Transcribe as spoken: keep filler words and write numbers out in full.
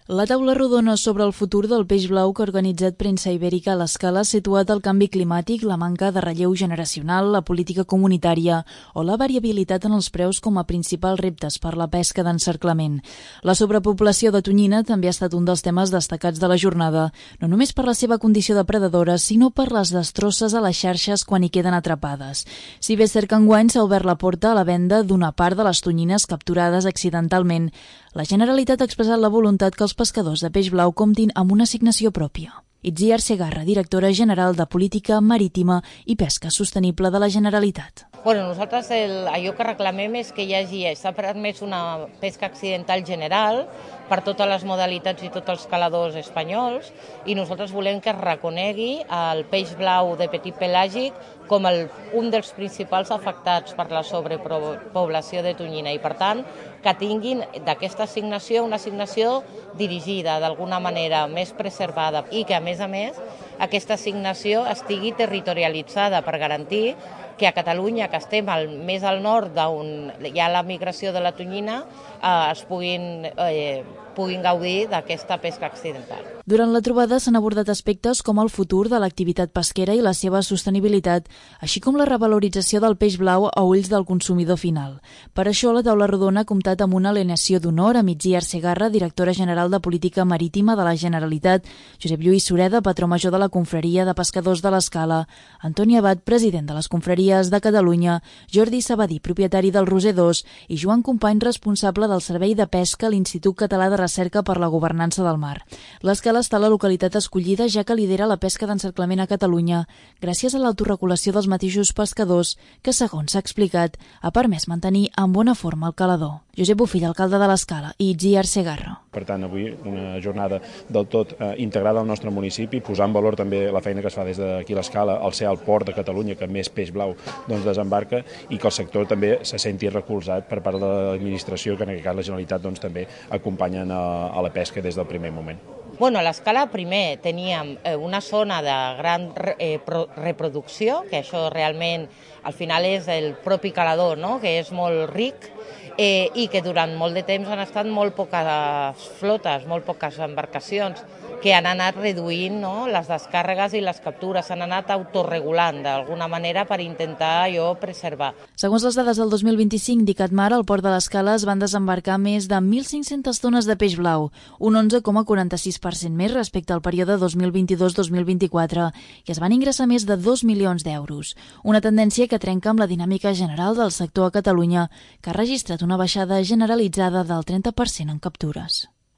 La taula rodona sobre el futur del peix blau que ha organitzat Premsa Ibèrica a l'Escala ha situat el canvi climàtic, la manca de relleu generacional, la política comunitària o la variabilitat en els preus com a principals reptes per la pesca d'encerclament. La sobrepoblació de tonyina també ha estat un dels temes destacats de la jornada, no només per la seva condició de predadora, sinó per les destrosses a les xarxes quan hi queden atrapades. Si bé és cert que enguany s'ha obert la porta a la venda d'una part de les tonyines capturades accidentalment, la Generalitat ha expressat la voluntat que els pescadors de peix blau comptin amb una assignació pròpia. Itziar Segarra, directora general de Política Marítima i Pesca Sostenible de la Generalitat. Bueno, nosaltres el, allò que reclamem és que hi hagi, s'ha permès una pesca accidental general per totes les modalitats i tots els caladors espanyols i nosaltres volem que es reconegui el peix blau de petit pelàgic com el, un dels principals afectats per la sobrepoblació de tonyina i, per tant, que tinguin d'aquesta assignació una assignació dirigida, d'alguna manera més preservada i que, a més a més, aquesta assignació estigui territorialitzada per garantir que a Catalunya, que estem al, més al nord d'on hi ha la migració de la tonyina, eh, es puguin, eh, puguin gaudir d'aquesta pesca accidental. Durant la trobada s'han abordat aspectes com el futur de l'activitat pesquera i la seva sostenibilitat, així com la revalorització del peix blau a ulls del consumidor final. Per això, la taula rodona ha comptat amb una alineació d'honor amb Itziar Segarra, directora general de Política Marítima de la Generalitat, Josep Lluís Sureda, patró major de la Confraria de Pescadors de l'Escala, Antoni Abad, president de les Confraries de Catalunya, Jordi Sabadí, propietari del Roser dos, i Joan Company, responsable del Servei de Pesca a l'Institut Català de Recerca per la Governança del Mar. L'Escala està a la localitat escollida, ja que lidera la pesca d'encerclament a Catalunya, gràcies a l'autoregulació dels mateixos pescadors, que, segons s'ha explicat, ha permès mantenir en bona forma el calador. Josep Bofill, alcalde de l'Escala, i Itziar Segarra. Per tant, avui una jornada del tot eh, integrada al nostre municipi, posant en valor també la feina que es fa des d'aquí a l'Escala, al ser el port de Catalunya que més peix blau doncs, desembarca, i que el sector també se senti recolzat per part de l'administració, que en aquest cas la Generalitat doncs, també acompanyen a, a la pesca des del primer moment. Bueno, a l'Escala primer teníem una zona de gran eh, reproducció, que això realment al final és el propi calador, no? Que és molt ric, eh, i que durant molt de temps han estat molt poques flotes, molt poques embarcacions, que han anat reduint, no? Les descàrregues i les captures, s'han anat autorregulant d'alguna manera per intentar allò preservar. Segons les dades del dos mil vint-i-cinc d'ICATMAR, al port de l'Escala es van desembarcar més de mil cinc-centes tones de peix blau, un onze coma quaranta-sis per cent més respecte al període dos mil vint-i-dos dos mil vint-i-quatre, i es van ingressar més de dos milions d'euros. Una tendència que trenca amb la dinàmica general del sector a Catalunya, que ha registrat una baixada generalitzada del trenta per cent en captures.